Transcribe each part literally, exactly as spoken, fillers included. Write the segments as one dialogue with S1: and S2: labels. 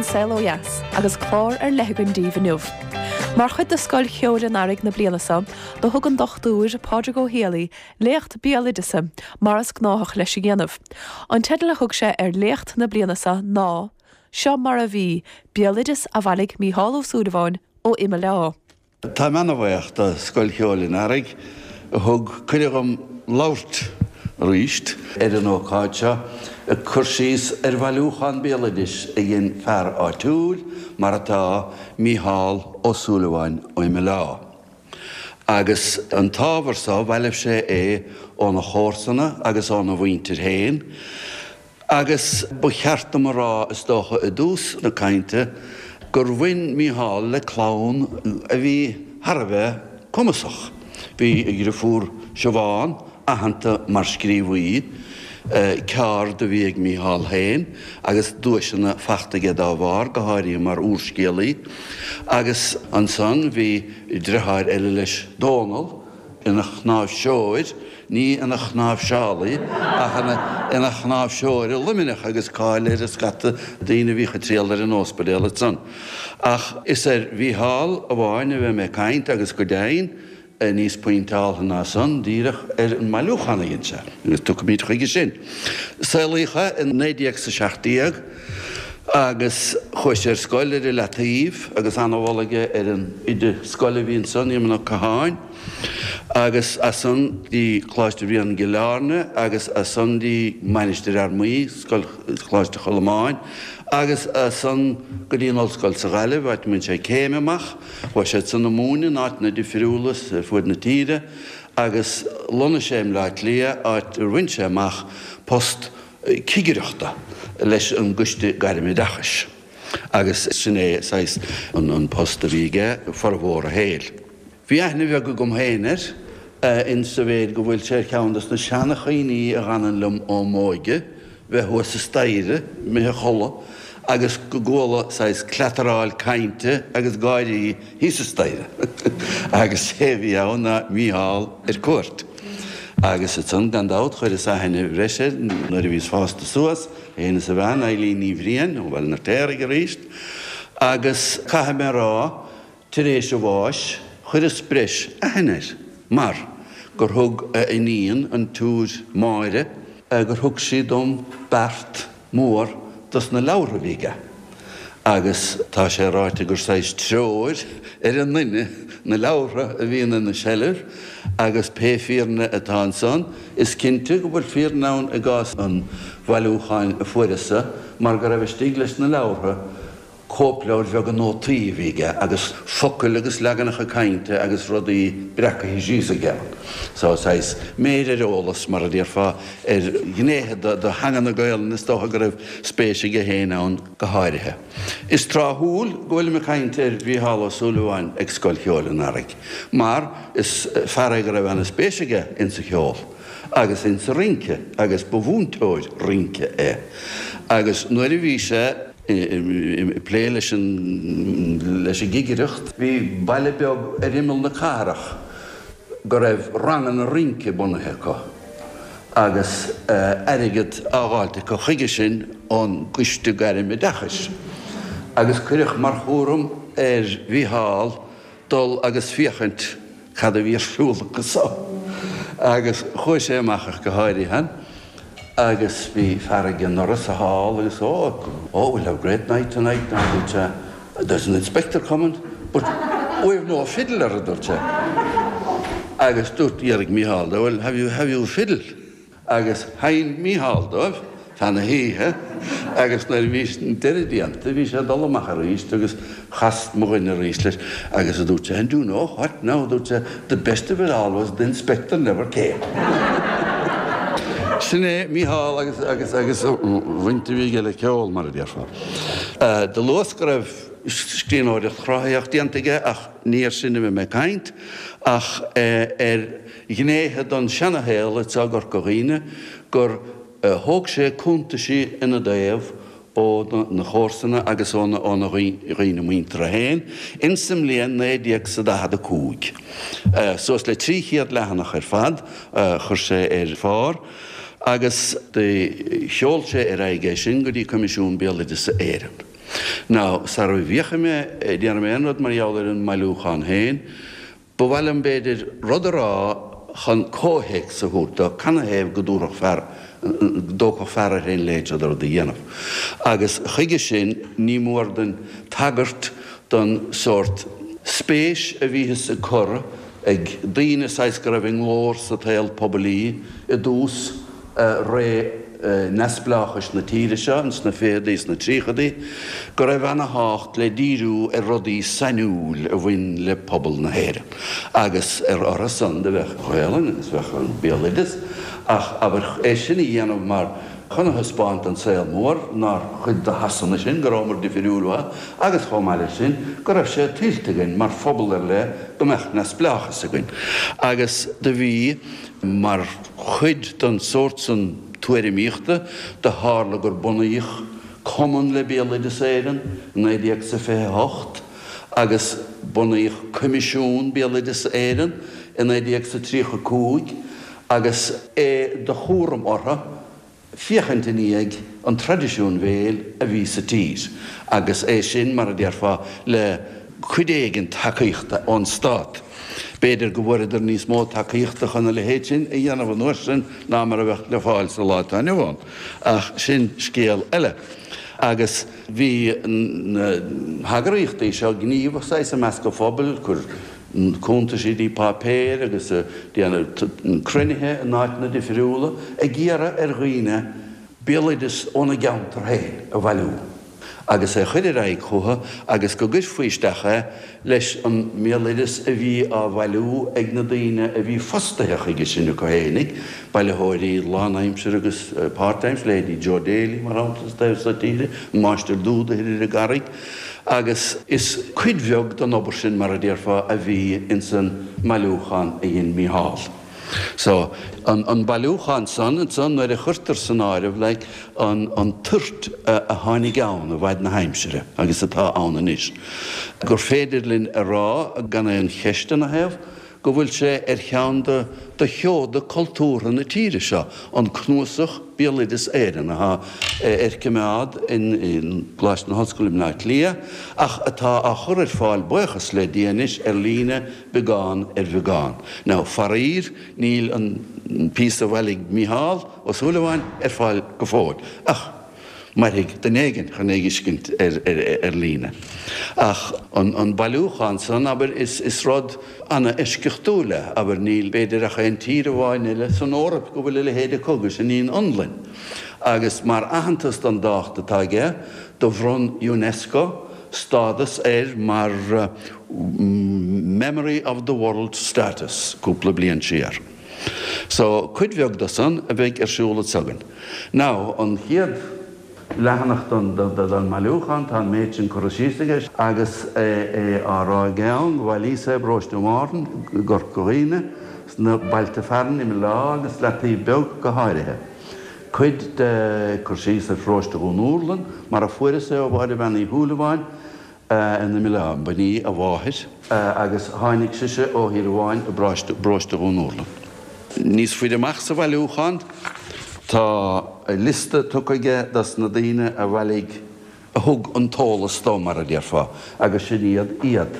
S1: Saol Ó Dheas agus clár ar leith againn daoibh inniu. Mar chuid de Scoil Cheoil an Earraigh na bliana seo, do thug an dochtúir Pádraig Ó Héalaí léacht béaloideasa mar is gnáthach leis a dhéanamh. An teideal a thug sé ar léacht na bliana seo ná, Seo mar a bhí, béaloideas a bhailigh Mícheál Ó Súilleabháin ó Imeall Átha.
S2: Táim an-bhuíoch do Scoil Cheoil an Earraigh a thug cuireadh dom labhairt arís ar an ócáid seo ag cur síos ar bhailiúchán béaloidis a dhein fear áitiúil, mar atá, Mícheál Ó Súilleabháin ó Imeall Átha. Agus an t-ábhar seo, bhailigh sé é óna chomharsana agus óna mhuintir féin, agus ba cheart dom a rá, is dócha, i dtús na cainte, gur bhain Mícheál le clann a bhí thar a bheith cumasach. Bhí a dhriofúr Siobhán aitheanta mar scríobhaí, ceard a bhí ag Mícheál féin agus duaiseanna fachta aige dá bharr, go háirithe mar úrscéalaí. Agus ansan bhí driotháir eile leis, Dónal, ina chnáimhseoir, ní ina chnáimhseálaí, ach ina chnáimhseoir i Luimneach agus cáil air i scata daoine a bhíodh ag triall air in ospidéal ansan. Ach is ar Mhícheál amháin a bheidh mé ag caint agus go deimhin, níos pointeáltha ná san, díreach ar an mbailiúchán a dhein sé, agus tiocfaimid chuige sin. Saolaíodh é i naoi déag 's a seacht déag agus chuaigh sé ar scoil ar an Leataobh agus ana-mholadh aige ar an oide scoile a bhí ansan, Éamonn Ó Catháin, agus as san dtí Coláiste Bhriain i gCill Airne agus as san dtí Mainistir Fhear Maí, Scoil Choláiste Cholmáin agus as san go dtí an Ollscoil sa Ghaillimh, áit a mbain sé céim amach. Chuaigh sé ansan ag múineadh in áiteanna difriúla ar fuaid na tíre agus lonnaigh sé i mBleá Cliath, áit ar bhain sé amach post cigireachta leis an gCoiste Gairmoideachais agus sin é saghas an post a bhí aige formhór a shaoil. Bhí aithne bheag agam féin air, in sa mhéid go bhfuil sé ar cheann de na seana-chuimhní a dh'fhanann liom ó m'óige, bheith thuas sa staighre, imithe a chodladh, agus go gcuala saghas cleataráil cainte agus gáirí thíos sa staighre. Agus sé a bhí ann ná Mícheál ar cuairt. Agus ansan, gan dabht, chuireas aithne bhreise air nuair a bhíos fásta suas, é féin is a bhean, Eileen Ní Bhriain, ó Bhaile an Fheirtéaraigh arís. Agus caithfidh mé a rá, Tar éis a bháis, chuireas breis aithne air, mar gur thug a iníon, an tSiúr Máire, gur thug sí dom beart mór dos na leabhartha a bhí aige. Agus tá sé ráite gur saghas treoir ar an nduine na leabhartha a bhíonn ina sheilbh, agus pé fírinne atá ansan, is cinnte go bhfuil fírinne ann i gcás an bhailiúcháin a fuaireas-sa, mar go raibh istigh leis na leabhartha, cóipleabhair bheaga nótaí a bhí aige agus focail agus leaganacha cainte agus rudaí breacaithe síos aige ann. So, saghas méir ar eolas, mar a déarfá, ar ghnéithe de theanga na Gaelainne is dócha go raibh spéis aige féin ann go háirithe. Is tráthúil go bhfuilim ag caint ar Mhícheál Ó Súilleabháin ag Scoil Cheoil an Earraigh mar is fear é go raibh ana-spéis aige insa cheol agus insa rince agus ba mhúinteoir rince é agus nuair a bhí sé ag plé leis an leis an gcigireacht. Bhí baile beag ar imeall na cathrach go raibh ranganna rince bunaithe acu agus airgead á dh'fháilt acu chuige sin ón gCoiste Gairm-Oideachais agus cuireadh mar chúram ar Mhícheál dul agus féachaint cad a bhí ar siúl acu so. Agus chuaigh sé amach ach go háirithe agus bhí fear ag an ndoras thall agus oh, oh, we'll have a great night tonight now, dúirt sé, there's an inspector coming, but we've no fiddler, a dúirt sé. Agus dúirt, d'fhiafraigh Mícheál de, well, have you, have you a fiddle? Agus sheinn Mícheál dóibh feadh na hoíche agus nuair a bhí an deireadh déanta bhí sé ag dul amach arís agus chas mo dhuine arís leis agus a dúirt sé, and do you know what now, a dúirt sé, the best of it all was the inspector never came. Sin é Mícheál agus agus agus an bhaint a bhí aige le ceol, mar a déarfá. Do luas go raibh scríbhneoireacht chruthaitheach déanta aige ach ní air sin a bheidh mé ag caint ach ar ghnéithe den seanashaol anseo i gCorca Dhuibhne gur thóg sé cuntaisí ina dtaobh ó na comharsana agus óna dhaoine muinteartha féin insa mbliain naoi déag 's a daichead a cúig. Suas le trí chéad leathanach ar fad a chuir sé ar phár agus do sheol sé ar aghaidh é sin go dtí Coimisiún Béaloideasa Éireann. Now, sara bhféachfaidh mé, déanfaidh mé aon rud mar gheall ar an mbailiúchán féin, ba mhaith liom b'fhéidir rud a rá chun comhthéacs a thabhairt dó, canathaobh go dtabharfadh fear, go dtógfadh fear air féin a leithéid seo de rud a dhéanamh. Agus chuige sin ní mór dúinn tagairt don sórt spéis a bhíothas ag cur ag daoine saghas go raibh a nglór sa tsaol poiblí i dtús ré neamhspleáchais na tíre seo ins na fichidí is na tríochaidí, go raibh ana-thábhacht le díriú ar rudaí sainiúil a bhain le pobal na hÉireann. Agus ar orthu san do bheadh Gaelainn agus bheadh an béaloideas, ach abair é sin a dhéanamh mar chun a thaispeáint don saol mór nár chuid de Shasana sinn, go rabhamar difriúil uathu agus chomh maith leis sin go raibh sé tuillte againn mar phobal ar leith go mbeadh neamhspleáchas againn. Agus do bhí mar chuid den sórt san tuairimíochta do tharla gur bunaíodh Cumann le Béaloideas Éireann i naoi déag 's a fiche a hocht agus bunaíodh Coimisiún Béaloideas Éireann i naoi déag 's a tríocha a cúig agus é de chúram orthu féachaint i ndiaidh an traidisiúin bhéil a bhí sa tír agus é sin, mar a déarfá, le cuid éigin tacaíochta ón stát. B'fhéidir go bhfuaireadar níos mó tacaíochta chun a leithéid sin a dhéanamh an uair sin ná mar a bheadh le fáil sa lá atá inniu ann, ach sin scéal eile. Agus bhí na heagraíochtaí seo gníomhach saghas i measc an phobail, cur cuntaisí dtí páipéir agus ag déanamh cruinnithe in áiteanna difriúla ag iarraidh ar dhaoine béaloideas óna gceantar féin a bhailiú agus é a chur ar aghaidh chucu agus go gcuirfí isteach é leis an mbéaloideas a bhí á bhailiú ag na daoine a bhí fostaithe chuige sin acu fhéinig, bailitheoirí lánaimsire agus páirtaimsire, leithéidí Joe Daly, mar shampla, sa taobh seo tíre, an Máistir Dúda thoir ar an gCarraig. Agus is cuid bheag den obair sin, mar a déarfá, a bhí ins an mbailiúchán a dhein Mícheál. So, an, an bailiúchán san, ansan, nuair a chuirtear san áireamh, like, an, an toirt a, a tháinig ann i bhfaid na haimsire, agus atá ann anois, gur féidir linn a rá, gan aon cheist ina thaobh, go bhfuil sé ar cheann de de sheoda cultúrtha na tíre seo, an cnuasach Béaloideas Éireann, atá ar coimeád i gColáiste na hOllscoile i mBleá Cliath, ach atá á chur ar fáil, buíochas le Dia anois, ar líne, beagán ar bheagán. Now, faraor, níl an píosa a bhailigh Mícheál Ó Súilleabháin ar fáil go fóill, ach. Mairfidh duine éigin chun é a fheiscint ar líne. Ach an bailiúchán san, abair, is rud ana-eisceachtúil é. Abair, níl, b'fhéidir, ach aon tír amháin eile san Eoraip go bhfuil a leithéid acu, agus sin í an Fhionlainn. Agus mar aitheantas don dtábhacht atá aige, do bhronn Unesco stádas air mar Memory of the World status cúpla bliain siar. So, cuid bheag de san a bheidh ar siúl anso againn. Now, an chéad leathanach den mbailiúchán, tá an méid sin curtha síos aige agus é á rá aige ann go bhailíos é i bparóiste Mhárthain i gCorca Dhuibhne, sna bailte fearainn Imill Átha agus Leataobh Beag go háirithe. Cuid de cur síos ar pharóiste Dhún Úrlann mar a fuaireas é ó Mháire Bhean Uí Shúilleabháin, in Imill Átha. B'in í a mháthair agus tháinig sise ó thír amháin i bparóiste Dhún Úrlann. Níos faide amach sa bhailiúchán tá liosta tugtha aige dos na daoine a bhailigh, a thug an t-eolas dó, mar a déarfá, agus sin iad iad.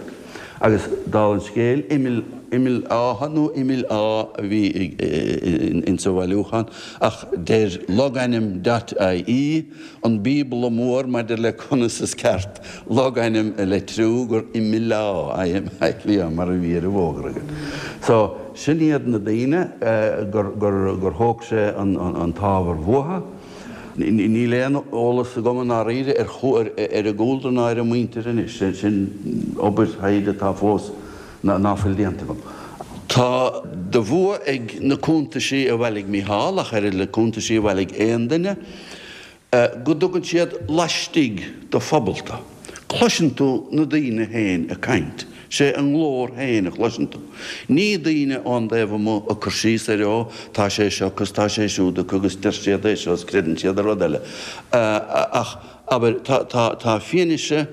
S2: Agus dála an scéil, Imill, Imill Átha nó Imill Á a bhí insa bhailiúchán ach deir logainm dot ie, an bíobla mór maidir le conas is ceart logainm a litriú, gur Imileá, I-M-I-L-E-A, mar a bhí ar an bhfógra againn. So, sin iad na daoine gur, gur, gur thóg sé an, an t-ábhar uathu. Níl aon eolas agam i ndáiríre ar, ar a gcúlra ná ar a muintir anois. Sin obair thaighde atá fós ná fuil déanta agam. Tá de bhua ag na cuntaisí a bhailigh Mícheál, ach oiread le cuntaisí a bhailigh aon duine, go dtugann siad laistigh de phobal tú. Cloiseann tú na daoine féin ag caint. Sé a nglór féin a chloiseann tú. Ní daoine ón dtaobh amuigh ag cur síos ar ó, tá sé seo acu is tá sé siúd acu agus deir siad é seo is creideann siad ar rud eile. Ach, abair, tá, tá, tá fianaise,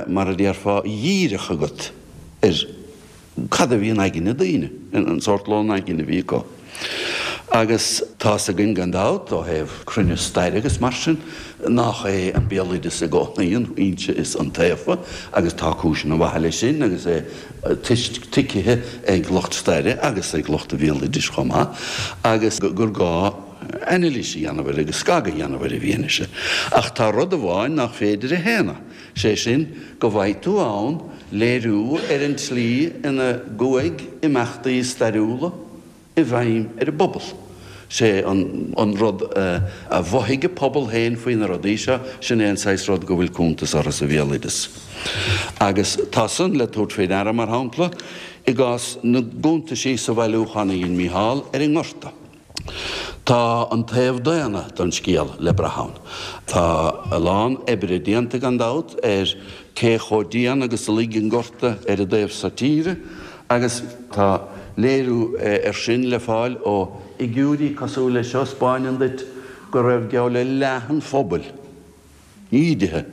S2: mar a déarfá, dhíreach agat ar cad a bhí in aigne daoine, an sórt lón aigne a bhí acu. Agus tá's againn gan dabht, ó thaobh cruinneas staire agus mar sin, nach é an béaloideas i gcónaí an fhoinse is iontaofa, agus tá cúiseanna maithe leis sin agus é tuigthe ag lucht staire agus ag lucht an bhéaloidis chomh maith, agus gur gá anailís a dhéanamh air agus scagadh a dhéanamh ar an bhfianaise. Ach tá rud amháin nach féidir a shéanadh, sé sin go bhfaighidh tú ann léiriú ar an tslí ina gcuaigh imeachtaí stairiúla, i bhfeidhm ar an bpobal. Sé an rud a mhothaigh an pobal féin faoi na rudaí seo, sin é an saghas rud go bhfuil cuntas orthu sa bhéaloideas. Agus tá san le tabhairt faoi deara, mar shampla, i gcás na gcuntaisí sa bhailiúchán a dhein Mícheál ar an nGorta. Tá an taobh daonna den scéal le brath ann. Tá a lán oibre déanta, gan dabht, ar cé chomh dian agus a luigh an Gorta ar an dtaobh so tíre, Agus tá léiriú air sin le fáil ó fhigiúirí cosúil leis seo a 'spáineann duit go raibh geall le leath an phobail ídithe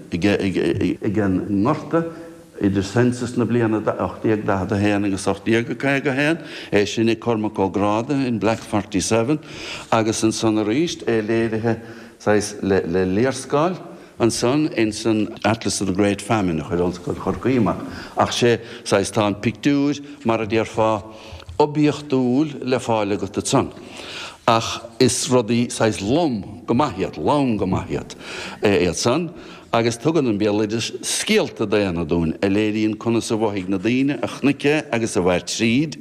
S2: ag an ngorta idir census na bliana ocht déag daichead a haon agus ocht déag caoga a haon, é sin ag Cormac Ó Gráda in Black Forty Seven, agus ansan arís é léirithe saghas le léarscáil. Ansan ins an Atlas of the Great Famine a chuir Ollscoil Chorcaí amach, ach sé saghas tá an pictiúr mar a déarfá oibiachtúil le fáil agat ansan. Ach is rudaí saghas lom go maith iad, lom go maith iad, iad san, agus tugann an béaloideas scéalta daonna dúinn a léiríonn conas a mhothaigh na daoine a chonaic é agus a mhair tríd,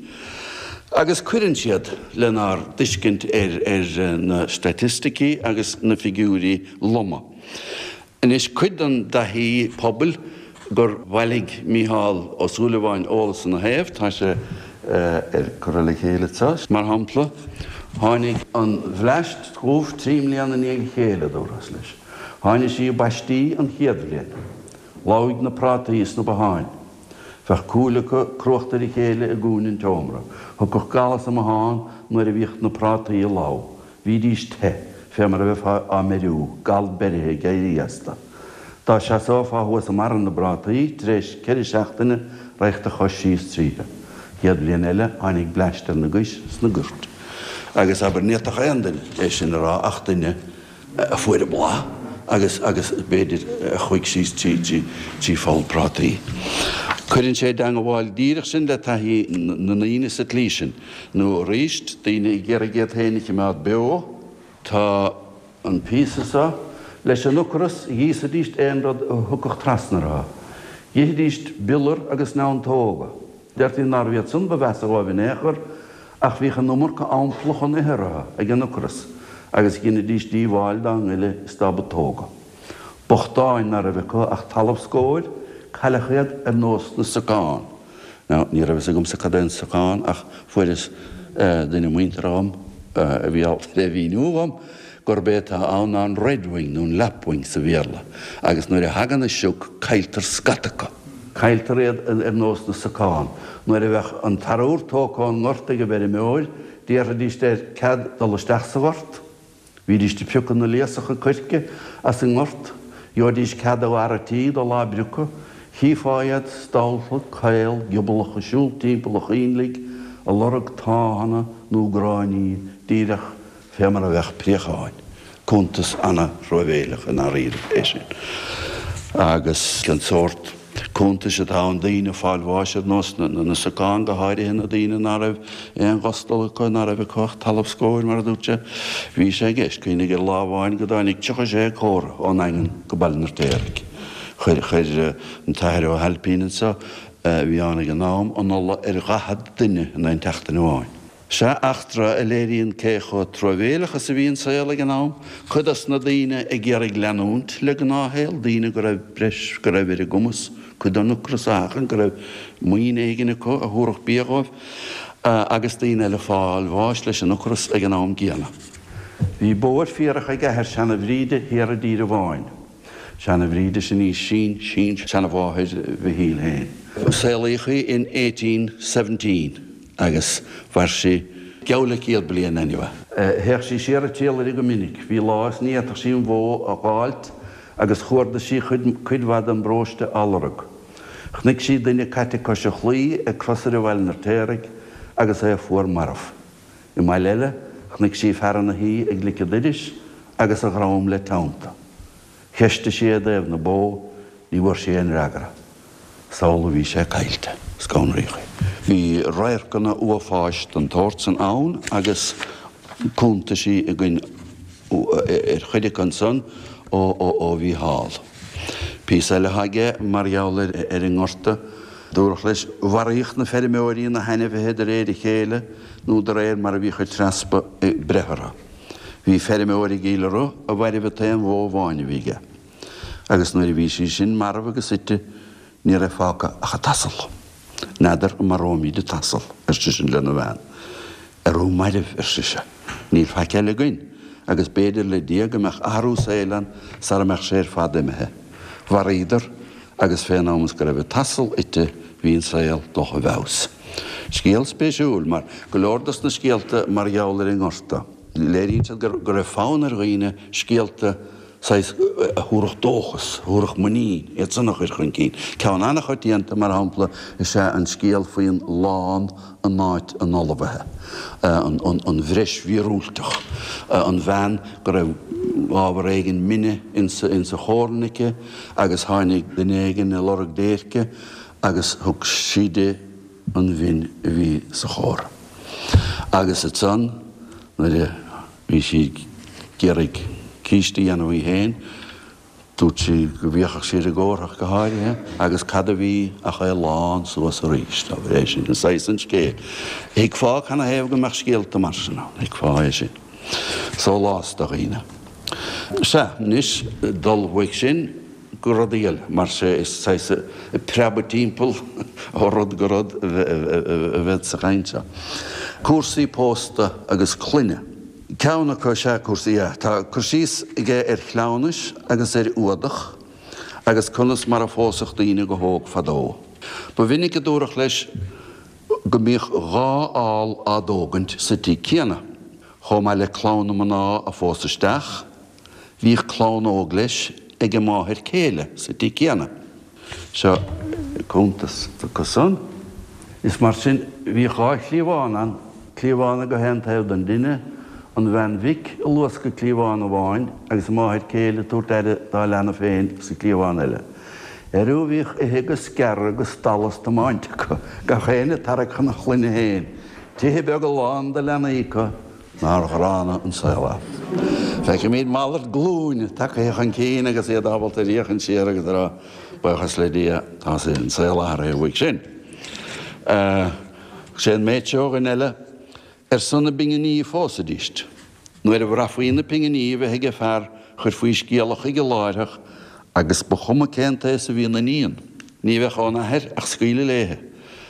S2: agus cuireann siad lenár dtuiscint ar ar na staitisticí agus na figiúirí loma. Anois, cuid den dtaithí pobail gur bhailigh Mícheál Ó Súilleabháin eolas ina thaobh, tá sé curtha le chéile anseo. Mar shampla, tháinig an bhleaist dhubh trí mbliana i ndiaidh a chéile, dúrthas leis. Tháinig sí i bpaistí an chéad bhliain. Lobhaigh na prátaí is na botháin. Bheadh cúil acu cruachta ar a chéile i gcúinne an tseomra. Thiocfadh gal as an mbothán nuair a bhíodh na prátaí ag lobhadh. Bhídís te, fé mar a bheifeá á mbeiriú, gal beirithe ag éirí astu. Dá seasófá thuas i mbarra na bprátaí, tar éis ceithre seachtaine, raghadh do chois síos tríothu. Chéad bhliain eile, tháinig bleaist ar na gais sna goirt. Agus, abair, ní fhéadfadh aon duine é sin a rá ach duine a fuair an bláth agus, agus b'fhéidir, a chuaigh síos trí, trí, trí pholl prátaí. Cuireann sé i dteangabháil díreach sinn le taithí na ndaoine sa tslí sin, nó arís, daoine ag iarraidh iad féin a chimeád beo. Tá an píosa seo leis an ocras, dh'íosaidíst aon rud a thiocfadh trasna orthu. Dh'ithidíst biolar agus neantóga. Deirtí nárbh iad san ba mheasa dhóibh in aon chor, ach bhíodh an iomarca ampla chun ithe orthu ag an ocras, agus dheinidís díobháil dá ngoile is dá bputóga. Bochtáin ná raibh acu ach talamh scóir, cailleadh iad ar nós na socán. Now, ní raibh fhios agamsa cad é an socán ach fuaireas duine muinteartha dhom a bhí ábalta é a mhíniú dhom, gurb é atá ann ná an redwing nó an lapwing sa Bhéarla, agus nuair a thagann an sioc cailltear scata acu. Cailltear iad ar nós na socán. Nuair a bheadh an t-arbhar tógtha ón ngort ag an bhfeirmeoir, d'iarrfaidíst air cead dul isteach sa ghort. Bhídíst ag piocadh na léasacha coirce as an ngort, gheobhaidís cead ó fhear a' tí dul á bpriocadh, chífeá iad stallta, caol, giobalach ag siúl timpeall an choinnligh, ag lorg táthanna nó gráinní, díreach fé mar a bheadh préacháin. Cuntas ana-thruamhéileach i ndáiríre é sin. Agus an sórt. Cuntais atá ann, daoine ag fáil bháis ar nós na socán, go háirithe na daoine ná raibh aon ghustal acu, ná raibh acu ach talamh scóir, mar a dúirt sé. Bhí sé i gceist, cuimhnigh ar lá amháin go dtáinig tríocha sé comhartha ón nDaingean go Baile an Fheirtéaraigh. Chuir, chuir an tAthair Ó hAilpín anso, a bhí ann ag an am, an ola ar dhaichead duine in aon tseachtain amháin. Sea, eachtra a léiríonn cé chomh truamhéileach is a bhí an saol ag an am, cuid dos na daoine ag iarraidh leanúint le gnáthshaol, daoine go raibh breis, go raibh ar a gcumas cuid den ocras a sheachaint, go raibh maoin éigin acu a thabharfadh bia dhóibh, agus daoine eile ag fáil bháis leis an ocras ag an am gcéanna. Bhí bó ar fíorach ag athair seana-Bhríde thiar i dTír an Bháin. Seana-Bhríde, sin í sin-sin-seanamháthair Mhichíl féin. Saolaíodh í in eighteen seventeen. Agus mhair sí geall le céad bliain anyway. Théadh sí siar ag triall uirthi go minic. Bhí lá is ní fhéadfadh sí an bhó a dh'fháilt agus chuardaigh sí cuid mhaith den bparóiste á lorg. Chonaic sí duine caite cois an chlaí ag crosaire Bhaile an Fheirtéaraigh agus é fuar marbh. I mbaile eile Chonaic sí fear ina shuí ag lic an doiris agus a dhrom le teannta. Cheistigh sí i dtaobh na bó, ní bhfuair sí aon fhreagra. Is amhlaidh a bhí sé caillte. Scanraíodh í. Bhí radharcanna uafáis den tsórt san ann agus cuntaisí againn ar chuid acu ansan ó Mhícheál. Píosa eile atá aige mar gheall ar an ngorta. Dúradh leis, Mharaíodh na feirmeoirí na hainmhithe de réir a chéile nó de réir mar a bhíodh an treaspa ag breith orthu. Bhí feirmeoir i gCill Rois a mhairbh an t-aon bhó amháin a bhí aige. Agus nuair a bhí sí sin marbh agus ite, ní raibh fágtha ach an t-asal. N'fheadar an maróimid an t-asal, ar seisean lena bhean. Arú mairbh, ar sise. Níl faic eile againn, agus b'fhéidir le Dia go mbeadh athrú saoil ann sara mbeadh sé ar fad imithe. Mharaíodar, agus fén am is go raibh an t-asal ite bhí an saol dultha i bhfeabhas. Scéal spéisiúil, mar go leor dos na scéalta mar gheall ar an ngorta, léiríonn siad go raibh fonn ar dhaoine scéalta saghas a thabharfadh dóchas, a thabharfadh muinín, iad san a chur chun cinn. Ceann an-choitianta, mar shampla, is ea an scéal faoin lann in áit an ullmhaithe, an bhreis mhíorúilteach, an bhean go raibh ábhar éigin mine insa chorn aici agus tháinig duine éigin ag lorg déirce agus thug sí di an mhin a bhí sa chorn. Agus ansan nuair a bhí sí ag iarraidh císte a dhéanamh í féin, dúirt sí go bhféachfadh sí ar an gcomhartha ach go háirithe, agus cad a bhí ach é lán suas arís. Abair é sin, saghas an scéil. Thuigfeá canathaobh go mbeadh scéalta mar sin ann, thuigfeá é sin. Sólás do dhaoine. Sea, anois, dul uaidh sin go rudaí eile, mar sé, is saghas ag preabadh timpeall ó rud go rud a bhead sa chaint seo. Cúrsaí pósta agus clainne. Ceann acu is ea cúrsaí, yeah. Tá cur síos aige ar chleamhnais agus ar fhuadach agus conas mar a phósadh daoine go hóg fadó. Ba mhinic a dúradh leis go mbíodh dhá ál á dtógaint sa tigh céanna. Chomh maith le clann na mná a phós isteach, bhíodh clann óg leis ag a máthair céile sa tigh céanna. Seo cuntas acu san. Is mar sin, bhíodh dhá chliabhán ann, cliabhán ag gach aon taobh den dtine, an bhean mhic ag luascadh cliabhán amháin agus a máthair céile ag tabhairt aire dá leanbh féin sa chliabhán eile. Airiú bhíodh ithe agus gearradh agus dalladh is tiomáint acu, gach éinne ag tarrac chun a chlainne féin, tithe beaga lán de leanaí acu, nár ghránna an saol é. Feicimid malairt glúine tagtha chun cinn agus iad ábalta féachaint siar agus a rá, buíochas le Dia, tá an saol athraithe uaidh sin. Sé an méid seo ó dhuine eile, ar son na bpinginí a phósaidíst. Nuair a bhraithfí na pinginí a bheith ag an fear chuirfí scéala chuige láithreach agus ba chuma cén t-aos a bhí an iníon. Ní bheadh ón athair ach scaoileadh léithe.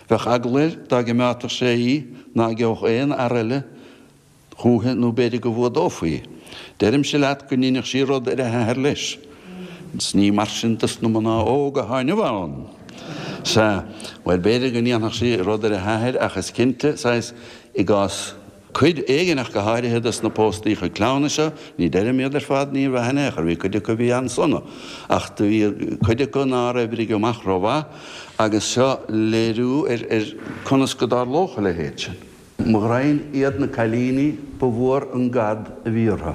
S2: Bheadh eagla air dá gcimeádfadh sé í ná geobhadh aon fhear eile chúithi nó b'fhéidir go bhfuadófaí í. Deirimse leat go ndeinfeadh sí rud ar a hathair leis. 'S ní mar sin dos na mná óga athá inniu ann. Sea, bhuel, b'fhéidir go ndéanfadh sí rud ar a hathair ach is cinnte, saghas, i gcás cuid éigin ach go háirithe dos na póstaíocha cleamhnais seo, ní deirim iad ar fad, ní bheadh in aon chor, bhí cuid acu a bhí an-sona ach do bhí cuid acu nár oibrigh amach rómhaith agus seo léiriú ar ar conas go dtarlódh a leithéid sin. Mo ghraidhin iad na cailíní ba mhór an gad a bhí orthu.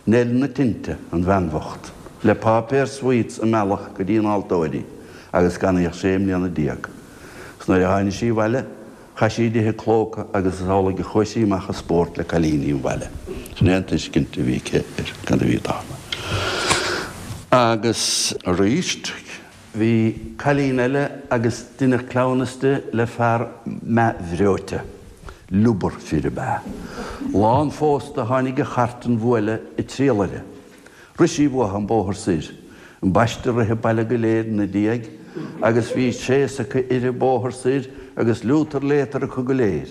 S2: Neil na Tinte, an bhean bhocht, le páipéar sweets a mealladh go dtí an altóir í agus gan í ach sé mbliana déag. 'S nuair a tháinig sí abhaile, chaith sí dithe clóca agus is amhlaidh a chuaigh sí amach ag spórt le cailíní an bhaile. Sin é an tuiscint a bhí aici ar cad a bhí ag tarlú. Agus aríst. Bhí cailín eile agus deineadh cleamhnas di le fear meathbhreoite. Lúbar fir ab ea. Lá an phósta tháinig an chairt an bhuaile ag triall uirthi. Rith sí uathu an bóthar soir. Ambaiste rith an baile go léir 'na diaidh agus bhí tréas acu uirthi an bóthar soir agus liútar léatar acu go léir.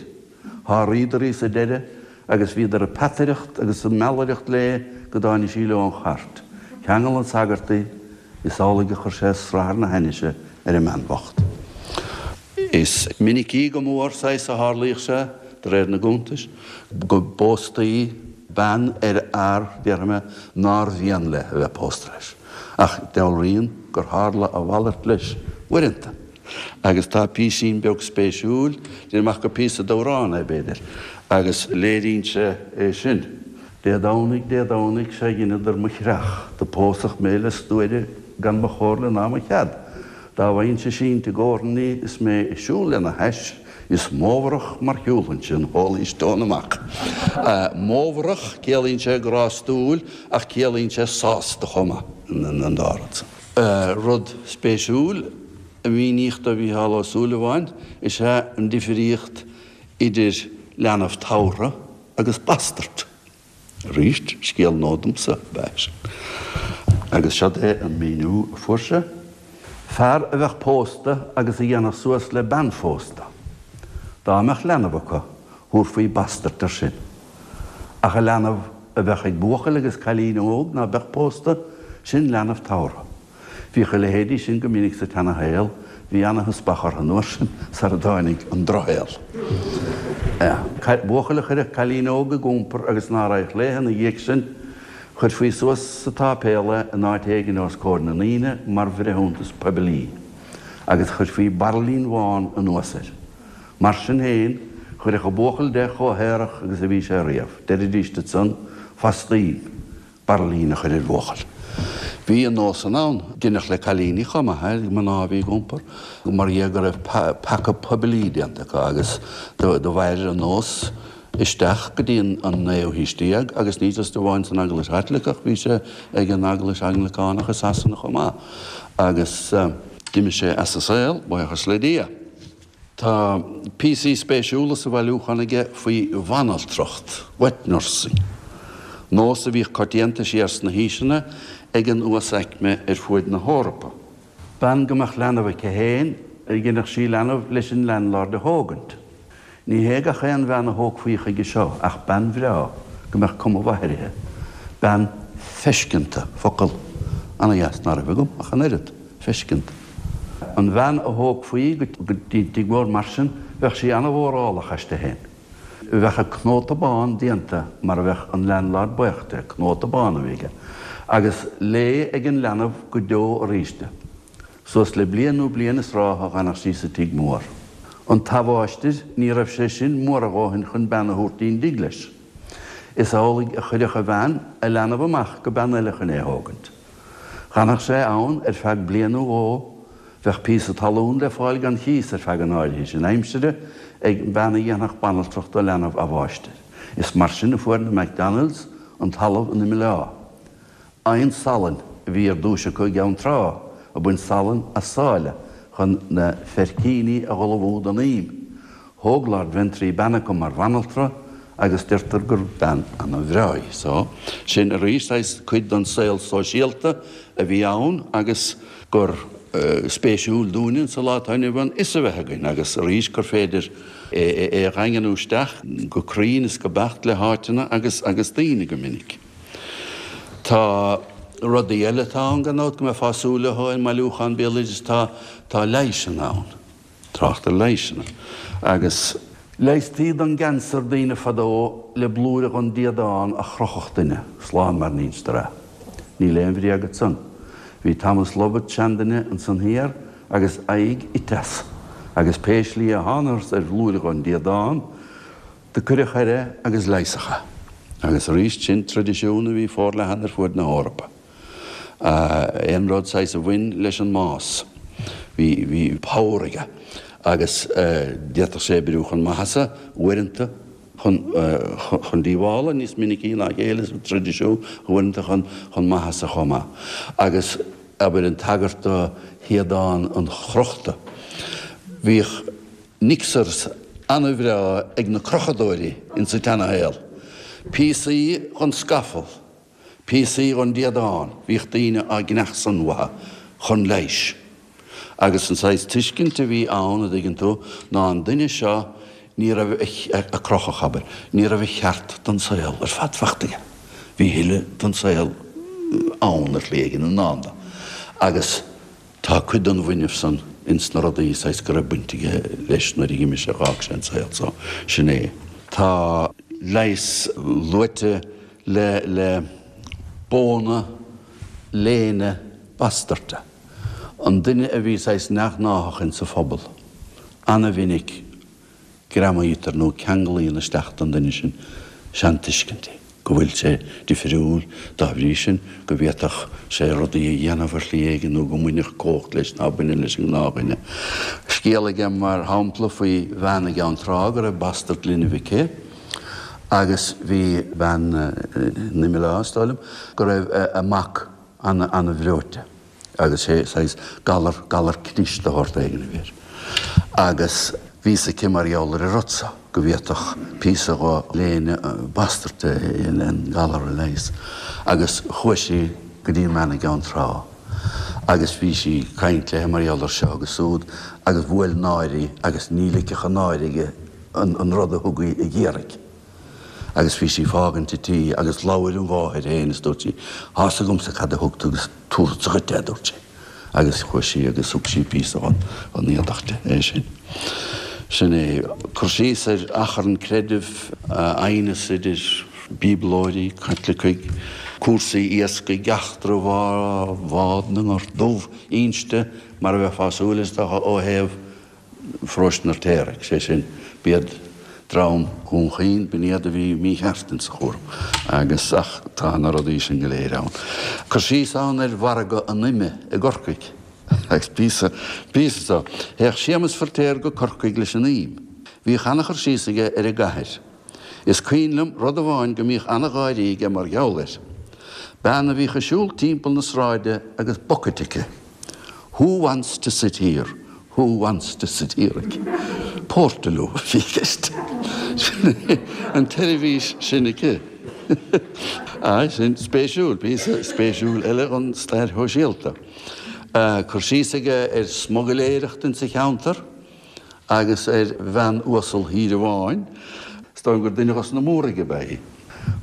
S2: Sháraíodar í sa deireadh agus bhíodar ag peataireacht agus ag meallaireacht léi go dtáinig sí leo an chairt. Cheangail an sagart í. Is amhlaidh a chuir sé srathar na hainnise ar an mbean bhocht. Is minicí go mór, saghas, a tharlaíodh sé, de réir na gcuntas, go bpóstaí bean ar fhear, déarfaidh mé, nár mhian léi a bheith pósta leis. Ach dealraíonn gur tharla a mhalairt leis uaireanta. Agus tá písín beag spéisiúil, déanaim amach gur píosa d'amhrán é b'fhéidir, agus léiríonn sé é sin. Dé Domhnaigh, Dé Domhnaigh, sea dheineadar mo chreach, do pósadh mé le stuaire gan mo chomhairle ná mo chead. Dá bhfaighinnse sínte i gcomharthannaí is mé ag siúl lena hais, is mómharach mar shiúlfainnse an Holy Stone amach. Mómharach, ciallaíonn sé grástúil ach ciallaíonn sé sásta chomh maith, an dá rud san. Rud spéisiúil a míníodh do Mhícheál Ó Súilleabháin is ea an difríocht idir leanbh tabhartha agus bastard. Arís, scéal nua domsa ab ea sin. Agus seod é an míniú a fuair sé, Fear a bheadh pósta agus a dhéanfadh suas le bean phósta. Dá mbeadh leanbh acu, thabharfaí bastard air sin. Ach an leanbh a bheadh ag buachaill agus cailín óg ná beadh pósta, sin leanbh tabhartha. Bhíodh a leithéidí sin go minic sa tseana-shaol, bhí ana-theaspach orthu an uair sin sara dtáinig an drochshaol. Buachaill a chuirfeadh cailín óg ag iompar agus ná raghadh léithe ina dhiaidh sin, chuirfí suas sa tsáipéal é in áit éigin os comhair na ndaoine mar bhreithiúntas poiblí, agus chuirfí bairillín bhán anuas air. Mar sin féin, chuirfeadh an buachaill de chomh haerach agus a bhí sé riamh. Deiridíst ansan, Fastaím! Bairillín a chur ar bhuachaill. Bhí an nós san ann. Deineadh le cailíní chomh maith, ag mná a bhí ag iompar, mar dhea go raibh peaca poiblí déanta acu agus do mhair an nós isteach go dtí an naoú haois déag agus ní just amháin san Eaglais Chaitliceach, bhí sé ag an Eaglais Anglacánach i Sasana chomh maith agus d'imigh sé as an saol, buíochas le Dia. Tá píosaí spéisiúla sa bhailiúchán aige faoi bhanaltracht, wet nursing, nós a bhíodh coitianta siar sna haoiseanna ag an uasaicme ar fuaid na hEorpa. Bean go mbeadh leanbh aici féin, dheinfeadh sí leanbh leis an landlord a thógaint. Ní hé gach aon bhean a thógfaí chuige seo ach bean bhreá go mbeadh cuma mhaith uirthi, bean feisceanta, focal ana-dheas ná raibh agam ach an oiread, feisceanta. An bhean a thógfaí go dtí tigh mór mar sin, bheadh sí ana-mhórálach aisti féin. Bheadh a cnóta bán déanta mar a bheadh an landlord buíoch de, cnóta bán a bhí aige, agus léi ag an leanbh go deo aríst. Suas le bliain nó bliain is ráithe a dh'fhanadh sí sa tigh mór. An t-athmháistir, ní raibh sé sin mór a dhóthain chun bean a thabhairt dtí'n dtigh leis. Is amhlaidh a chuirfeadh a bhean a leanbh amach go bean eile chun é a thógaint. Dh'fhanadh sé ann ar feadh bliain nó dhó, bheadh píosa talún le fáil gan chíos ar feadh an áirithe sin aimsire ag bean a dhéanfadh banaltracht do leanbh athmháistir. Is mar sin a fuair na McDonalds an talamh in Imeall Átha. Oigheann salainn a bhí ar dtúis acu i gCeann Trá, ag baint salann as sáile chun na feircíní a dh'ullmhú don ím. Thóg Lord Ventry bean acu mar bhanaltra agus deirtear gur bean ana bhreá í. So, sin arís saghas cuid den saol sóisialta a bhí ann agus gur spéisiúil dúinne sa lá atá inniu ann fhios a bheith againn agus arís gur féidir é a dhaingniú isteach go cruinn is go beacht le háiteanna agus agus daoine go minic. Tá rudaí eile atá ann gan dabht go mbeifeá ag súil leo i mbailiúchán béaloidis tá tá leighiseanna ann. Trácht ar leighiseanna agus. Leigheastaí don gceanser daoine fadó le blúire dhon déadán a chrochfadh duine, slán mar n-instear é. Níl aon bhréag ansan. Bhí Thomas Lovett, seanduine, ansan thiar agus aghaidh ite as, agus pé slí a thángathas ar bhlúire dhon déadán, do cuireadh air é agus leigheasadh é. Agus arís, sin traidisiún a bhí forleathan ar fuaid na hEorpa. Aon rud saghas a bhain leis an mbás, bhí, bhí power aige agus d'fhéadfadh sé oibriú chun maitheasa uaireanta, chun, chun díobhála níos minicí ná a chéile sa traidisiún, uaireanta chun, chun maitheasa chomh maith. Agus abair an tagairt do shéadán an chrochta, bhíodh nixers ana-bhreá ag na crochadóirí insa tseana-shaol, píosaí dhon scafall, Píosaí dhon déadán, bhíodh daoine á gcneadh san uathu chun leighis. Agus an saghas tuiscint a bhí ann, a dtuigeann tú, ná an duine seo, ní raibh a crochadh, abair, ní raibh a cheart don saol ar fad fachta aige. Bhí a thuilleadh don saol ann ar shlí éigin i ndán dó. Agus tá cuid den bhfuinneamh san ins na rudaí saghas go raibh baint aige leis nuair a dh'imigh sé, dh'fhág sé an saol. So, sin é. Tá leigheas luaite le le bóna léine bastairte. An duine a bhí saghas neamhghnáthach insa phobal, ana-mhinic greamaítear nó ceanglaíonn isteach don duine sin seantuiscintí, go bhfuil sé difriúil, dá bhrí sin, go bhféadfadh sé rudaí a dhéanamh ar shlí éigin nó go mbainfeadh cumhacht leis ná baineann leis an ngnáthdhuine. Scéal aige mar shampla faoi bhean i gCeann Trá go raibh bastard linbh aici agus bhí bean in Imileá, is dóigh liom, go raibh a mac ana-bhreoite agus sé saghas galar, galar cnis de shórt éigin a bhí air. Agus bhí fhios aici mar gheall ar an rud so, go bhféadfadh píosa dho léine bastairt an galar a leigheas. Agus chuaigh sí go dtí an bhean i gCeann Trá agus bhí sí ag caint léi mar gheall ar seo agus súd agus bhuail náire í agus ní ligfeadh an náire di an rud a thug í ag iarraidh. Agus bhí sí fágaint a tí agus labhair an mháthair fhéin is dúirt sí, Tá's agamsa cad a thug tú agus tabharfadsa dhuit é, a dúirt sí. Agus chuaigh sí agus thug sí píosa dhon éadach di, é sin. Sin é. Cur síos ar achrann creidimh, aighneas idir Bíoblóirí, Caitlicigh, cúrsaí iascaigh, eachtra Bhád na nGort Dubh inste mar a bheifeá ag súil, is dócha, ó thaobh Pharóiste an Fheirtéaraigh, sé sin, b'iad dream Dhún Chaoin, b'in iad a bhí mícheart insa chúram agus, ach tá na rudaí sin go léir ann. Cur síos ann ar mhargadh an ime i gCorcaigh agus píosa, píosa so. Théadh Séamus Feirtéar go Corcaigh leis an im. Bhíodh ana-chur síos aige ar an gcathair. Is cuimhin liom rud amháin go mbíodh ana-gháirí aige mar gheall air. Bean a bhíodh ag siúl timpeall na sráide agus bucket aici. Who wants to sit here? Who wants to sit here? Portaloo a bhí i gceist. Sin é an tseirbhís sin aici. Aye, sin spéisiúil, píosa spéisiúil eile dhon stair shóisialta. Cur síos aige ar smugailéireacht insa cheantar agus ar bhean uasal thír amháin. Is dóigh liom gur duine dhos na Múraigh ab ea í.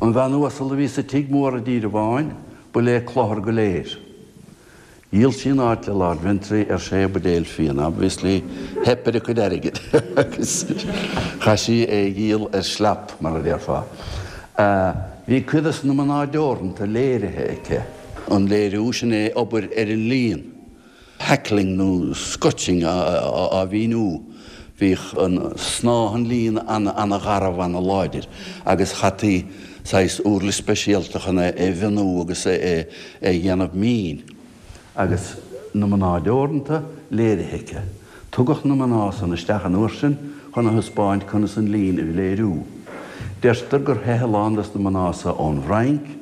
S2: An bhean uasal a bhí sa tigh mór i dTír amháin, ba léi cluthar go léir. Dhíol sí an áit le Lord Ventry ar sé buidéal fíona. Obviously, theip ar a cuid airgid agus chaith sí é a dhíol ar slap, mar a déarfá. Bhí cuid dos na mná deoranta léirithe aici. An léiriú, sin é obair ar an líon. Hackling nó scutching á mhíniú. Bhíodh an snáth an lín ana-gharbh, ana-láidir agus chaití saghas uirlis speisialta chun é a mhionú agus é a dhéanamh mín. Agus na mná deoranta léirithe aici. Tugadh na mná san isteach an uair sin chun a thaispeáint conas an líon a léiriú. Deirtear gur theith a lán des na mná so ón bhFrainc,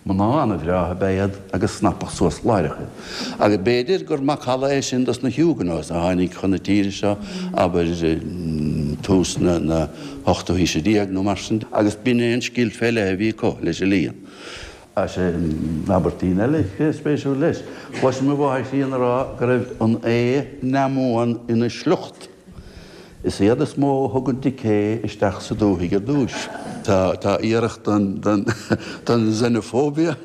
S2: mná ana-bhreátha ab ea iad agus snapadh suas láithreach iad. Agus b'fhéidir gur macalla é sin dos na Huguenots a tháinig chun na tíre seo, abair, tús na hochtú haoise déag nó mar sin, agus b'in é an scil fé leith a bhí acu leis an líon. Sin abairtín eile spéisiúil leis. Chloisinn mo mháthair chríonna ag rá go raibh an aos neamhbhuan ina sliocht. Is iad is mó a thug an decay isteach sa dúthaigh ar dtúis. Tá iarracht den xenophobia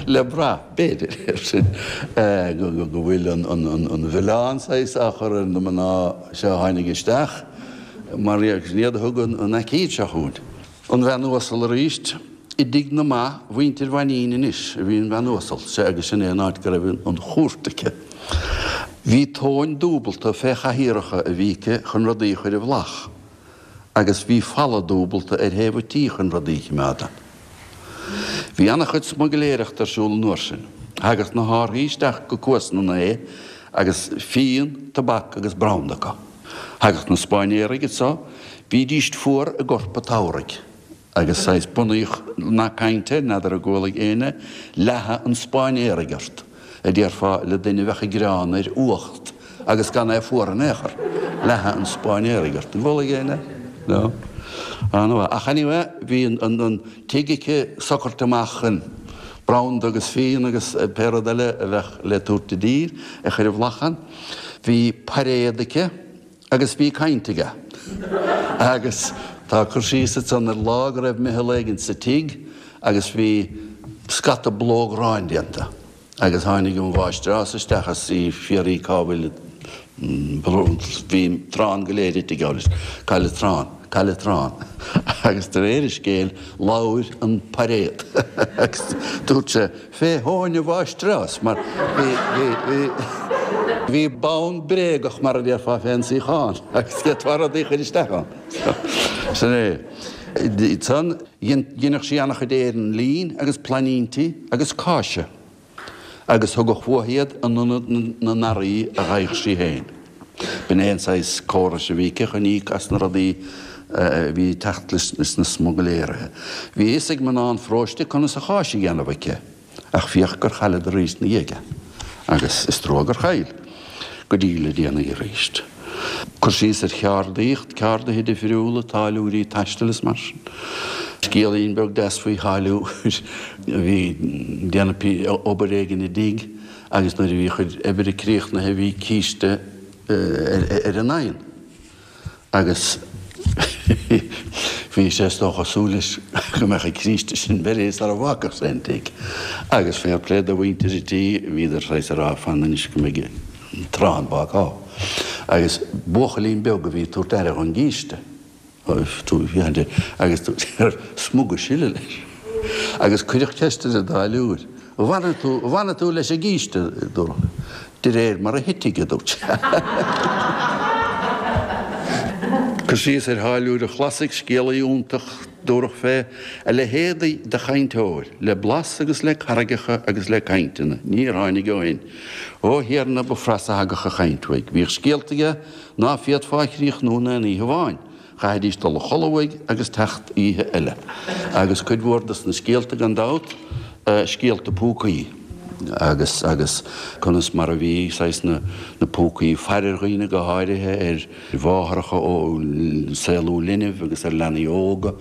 S2: le brath, b'fhéidir, air sin, go bhfuil an mhilleán saghas á chur ar na mná seo a tháinig isteach mar sin iad a thug an aicíd seo chugainn. An bhean uasal arís. I dtigh na mba, mhuintir Mhainín anois, a bhí an bhean uasal, sea agus sin é an áit go raibh an chúirt aici. Bhí tóin dúbalta fé chathaoireacha a bhí aici chun rudaí a chur i bhflach, agus bhí falla dúbalta ar thaobh a tí chun rudaí a chimeád ann. Bhí ana-chuid smuigléireachta ar siúl an uair sin. Thagadh na hárthaí isteach go Cuas na nAe agus fíon, tobac agus branda acu. Thagadh na Spáinnéaraigh anso, bhídíst fuar i gcorp a' tsamhraidh. Agus saghas bunaíodh nath cainte, n'fheadar an gcualaigh éinne, leathadh an Spáinnéaraigh ort, a déarfá le duine a bheadh ag gearán ar fhuacht agus gan é fuar in aon chor, leathadh an Spáinnéaraigh ort. An gcualaigh éinne? No? An-mhaith. Ach anyway, bhí an tigh aici socraithe amach chun branda agus fíon agus pé rud eile a bheadh le tabhairt i dtír a chur i bhflach ann. Bhí pairéad aici. Agus bhí caint aige. Agus tá cur síos ansan ar lá go raibh meitheal éigin sa tigh agus bhí scata blóghráin déanta agus tháinig an mháistreás isteach is í ag fiafraí cá bhfuil bhí an trán go léir ite geall leis. Cá bhfuil an trán? Cá bhfuil an trán? Agus de réir an scéil labhair an pairéad agus dúirt sé, Fé thóin a mháistreás, mar bhí, bhí, bhí, Bhí bonn bréagach mar a déarfá fén suíochán agus d'fhéadfá rudaí a chur isteach ann. Sin é. Ansan dheineadh sí an-chuid aon lín agus plainíntí agus cáise agus thugadh uaithi iad in ionad na n-earraí a gheibheadh sí féin. B'in é an saghas córais a bhí aici chun íoc as na rudaí a bhí ag teacht leis na smugairléirí. Bhí a fhios ag mná an pharóiste conas an cháis a dhéanamh aici, ach féach gur chailleadar arís ina dhiaidh é. Agus is trua gur chaill. Go dtí le déanaí arís. Cur síos ar cheardaíocht, ceardaithe difriúla, táilliúirí taistil is mar sin. Scéilín beag deas faoi tháilliúir a bhí ag déanamh obair éigin i dtigh agus nuair a bhí a chuid oibre críochnaithe bhí císte ar an oigheann agus bhí sé is dócha ag súil leis go mbeadh an císte sin beirithe sara bhfágfadh sé an tigh. Agus fair play do mhuintir an tí, bhíodar saghas ag rá fan anois go mbeidh an tráth an bhácáil. Agus buachaillín beag a bhí ag tabhairt aire dhon gcíste. Agus smuga sile leis. Agus cuireadh ceist ar an dtáilliúir, An bhfanfaidh tú, an bhfanfaidh tú leis an gcíste? Dúradh, De réir mar a thitfidh, a dúirt sé. Cur síos ar tháilliúir an Chlasaigh, scéalaí iontach, dúradh fé, a leithéid de chainteoir, le blas agus le carraigeacha agus le cainteanna, níor tháinig ó shin. Ó Thiarna, ba phras a thagadh an chaint uaidh. Bhíodh scéalta aige ná féadfá a chríochnú in aon oíche amháin. Chaithfidís dul a chodladh uaidh agus teacht oíche eile. Agus cuid mhór dos na scéalta gan dabht, scéalta púcaí agus agus conas mar a bhí saghas na na púcaí ag faire ar dhaoine, go háirithe ar mháithreacha ó saolú linbh agus ar leanaí óga.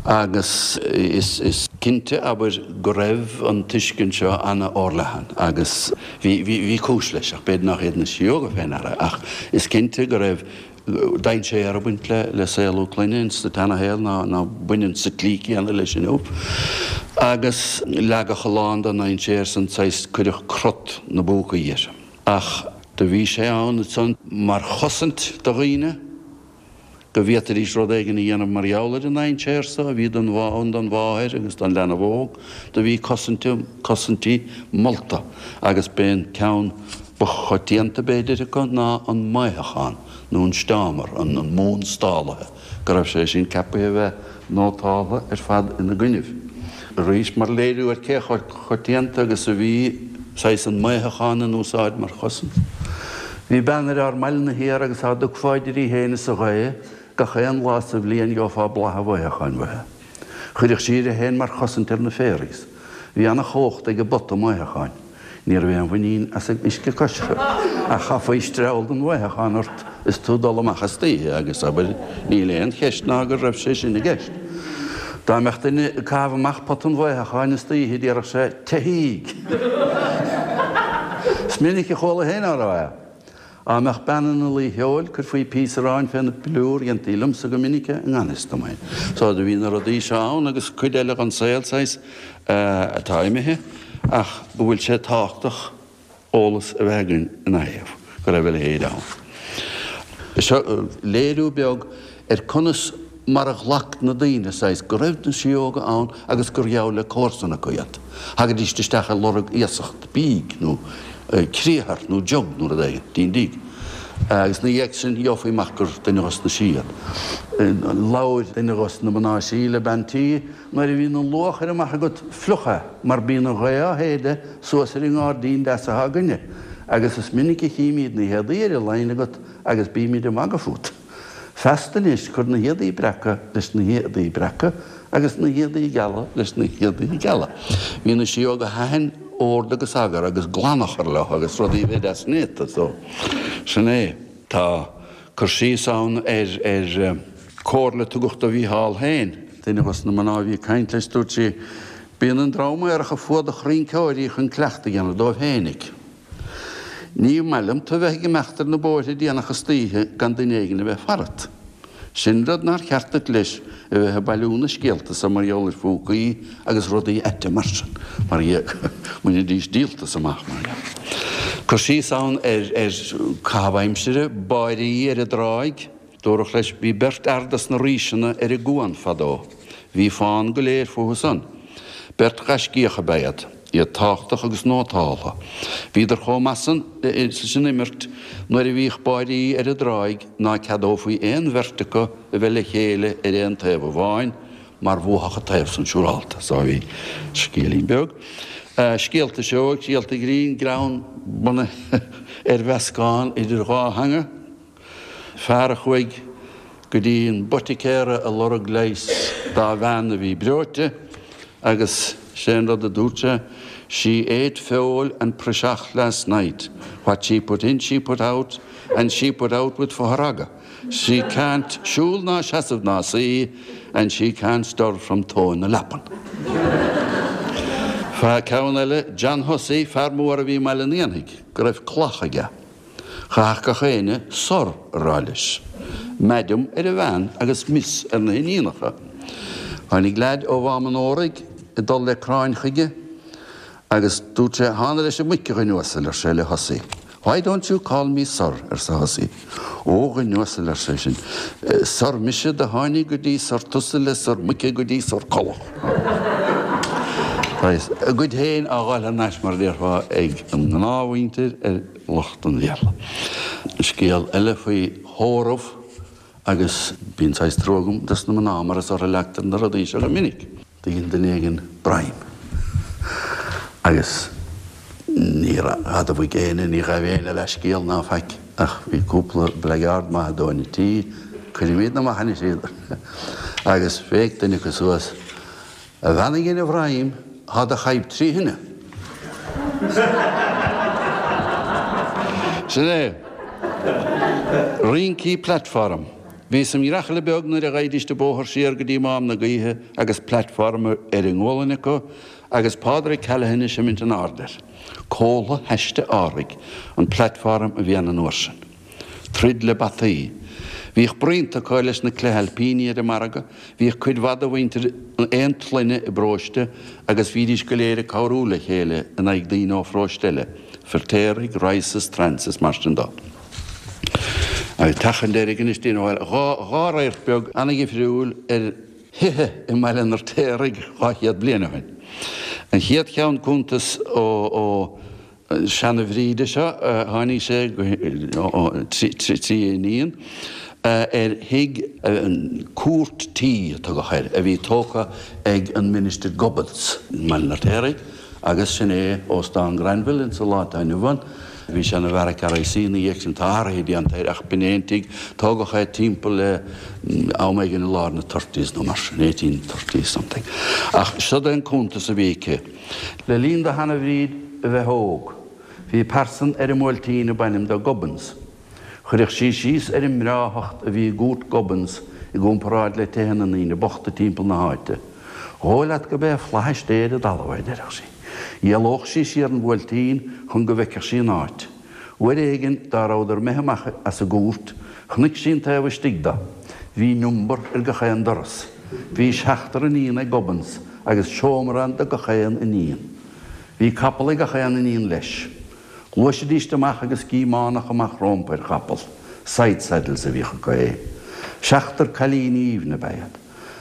S2: Agus is is cinnte, abair, go raibh an tuiscint seo ana-fhorleathan agus bhí bhí bhí cúis leis, ach b'fhéidir nach iad na síóga fé ndeara, ach is cinnte go raibh dainséar ag baint le saolú clainne ins an tseanashaol ná baineann sa tslí céanna leis inniu. Agus leagadh a lán den ndainséar san saghas cuireadh crot na bpúcaí air. Ach do bhí sé ann ansan mar chosaint do dhaoine go bhféadfaidís rud éigin a dhéanamh mar gheall ar an ndainséar so a bhí don ann don mháthair agus don leanbh óg. Do bhí cosaintí molta agus b'é an ceann ba choitianta b'fhéidir acu ná an maothachán nó an steámar, an mún stálaithe, go raibh sé sin ceapaithe a bheith nótáltha ar fad ina gcoinnibh. Arís, mar léiriú ar cé chomh coitianta agus a bhí saghas an maothachán in úsáid mar chosaint. Bhí bean ar ár mbaile-na thiar agus dá dtiocfá idir í féin is an ghaoth gach aon lá sa bhliain gheofá boladh an mhaothacháin uaithi. Chuireadh sí uirthi féin mar chosaint ar na féaraigh. Bhí ana-chumhacht ag an bpota maothacháin. Ní raibh aon mhuinín as an uisce coisricthe, ach chaithfí streall den mhaothachán ort is tú ag dul amach istoíche agus, abair, níl aon cheist ná go raibh sé sin i gceist. Dá mbeadh duine ag caitheamh amach pota an mhaothacháin istoíche déarfadh sé, Teithíg! Is minic a chuala féin á rá é. Á mbeadh bean ina luí feoil, cuirfí píosa aráin fé na plúr, dhéantaí liomsa go minic é i ngan fhios dom fhéin. So do bhí na rudaí seo ann agus cuid eile dhon saol saghas atá imithe ach go bhfuil sé tábhachtach eolas a bheith againn ina thaobh, go raibh a leithéid ann. Seo léiriú beag ar conas mar a ghlac na daoine, saghas, go raibh na síóga ann agus gur gheall le comharsan acu iad. Thagaidíst isteach ag lorg iasacht bídh nó criathar nó jug nó rud éigin, dtí'n dtigh. Agus 'na dhiaidh sin gheofaí amach gur duine dhos na sí iad. Labhair duine dhos na mná sí le bean tí, Nuair a bhíonn an luachair amach agat fliuch é mar bíonn an ghaoth á shéideadh suas ar an ngáirdín deas atá againne agus is minic a chímíd na héadaí ar an line agat agus bímid ag magadh fút. Feasta anois, cuir na héadaí breaca leis na héadaí breaca agus na héadaí geala leis na héadaí geala. Bhí na síóga thaitin ord agus eagar agus glan a chur leo agus rudaí a bheith deas néata so sin é. Tá cur síos ann ar ar comhairle a tugadh do Mhícheál féin. Duine dhos na mná a bhí ag caint leis dúirt sí, Bíonn an dream aerach ag fuadach rinceoirí chun cleachtadh a dhéanamh dóibh féinig. Ní maith liom tu bheith ag imeacht ar na bóithre déanach istoíche gan duine éigin a bheith farat. Sin rud nár cheart duit leis a bheith ag bailiú na scéalta so mar gheall ar phúcaí agus rudaí aite mar sin, mar dhea go mbainfidís díoltas amach mar dhea. Cur síos ann ar ar caitheamh aimsire, báirí ar an dtráigh. Dúradh leis, bhí beirt fhear dos na Ríseanna ar an gcuan fadó. Bhí fán go léir fúthu san. Beirt ghaiscíoch ab ea iad. Iad tábhachtach agus nótáltha. Bhíodar chomh maith san san imirt nuair a bhíodh báidí ar an dtráigh ná ceadófaí aon bheirt acu a bheith le chéile ar aon taobh amháin mar bhuafadh an taobh san siúrálta. So bhí scéilín beag. Scéalta seoigh, scéalta grinn, greann bunaithe ar mheascán idir dhá theanga. Fear a chuaigh go dtí an bpoiticéara a lorg leigheas dá bhean a bhí breoite agus sé an rud a dúirt sé, She ate feoil and praiseach last night. What she put in she put out and she put out with fothragadh. She can't siúl ná seasamh ná suí and she can't stir from tóin na leapan. Fa ceann eile, John Hussey, fear mór a bhí i mBaile an Éanaigh, go raibh cloch aige. Chaithfeadh gach éinne Sir a rá leis. Madam ar a bhean agus Miss ar na hiníonacha. Tháinig leaid ó Mhám an Óraigh ag dul le cráin chuige agus dúirt sé, Thána leis an muic, a dhuine uasail, ar sé le Hussey. Why don't you call me sir? arsa Hussey. Ó, a dhuine uasail, ar seisean, Sir mise do tháinig go dtí Sir tusa le Sir muice go dtí Sir Collach. A gcuid féin á dh'fháil thar n-ais, mar a déarfá, ag an ngnáthmhuintir ar lucht an Bhéarla. Scéal eile faoi thórramh agus bíonn saghas trua agam dos na mná mar is orthu a leagtar na rudaí seo go minic. Do dhein duine éigin broim agus níor admhaigh éinne, ní ghabh éinne leithscéal ná faic ach bhí cúpla blackguard maith ag dó an tí, cuirimidne amach anois iad agus bhéic duine acu suas, A bhean a dhein an bhroim, thá do chaidhp trí thine. Sin é. Rincí platform. Bhíos im dhreachaille beag nuair a ghaibhdíst an bóthar siar go dtí Mám na Gaoithe agus platform ar a ngualainn acu agus Pádraig Callaghan ag seimint in airde air. Comhla haiste árthaigh an platform a bhí ann an uair sin. Troid le bataí. Bhíodh bruíonta acu leis na cleithailpíní ar an margadh, bhíodh cuid mhaith de mhuintir aon tsloinne i bparóiste agus bhídís go léir ag cabhrú le chéile in aghaidh daoine ó pharóiste eile, Feirtéaraigh, Rices, Trants is mar sin dó. Agus teach an deiridh anois, déanamh dhá dhá radharc beag an-dhifriúil ar thithe i mBaile an Fheirtéaraigh dhá chéad bliain ó shin. An chéad cheann cuntas ó ó seana-Bhríde seo, tháinig sé trí a iníon ar thigh, cúirt tí a tugadh air, a bhí tógtha ag an Ministir Gubbins i mBaile an Fheirtéaraigh agus sin é Óstán Granville insa lá atá inniu ann. Bhí sé ina bheairic R I C ina dhiaidh sin, tá athruithe déanta air ach b'in é an tigh, tógadh é timpeall le am éigin i lár na thirties nó mar sin, eighteen thirty something. Ach siod é an cuntas a bhí aici. Le linn do sheana-Bhríd a bheith óg. Bhí pearsan ar an mBuailtín ab ainm dó Gubbins. Chuirfeadh sí síos ar an mbreáthacht a bhí i gcúirt Gubbins i gcomparáid le tithe na ndaoine bochta timpeall na háite. Dhóigh leat go b'é flaithis Dé ar an dtalamh é, deireadh sí. Dhealódh sí siar an Bhuailtín chun go bhfeicfeadh sí an áit. Uair éigin dá rabhadar imithe amach as an gcúirt, chonaic sí an taobh istigh de. Bhí number ar gach aon doras. Bhí seachtar iníon ag Gubbins agus seomra ann do gach aon iníon. Bhí capall ag gach aon iníon leis. Ghluaisidíst amach agus gíománach amach rómpa ar chapall. Side saddles a bhíodh acu féin. Seachtar cailíní aoibhne ab ea iad.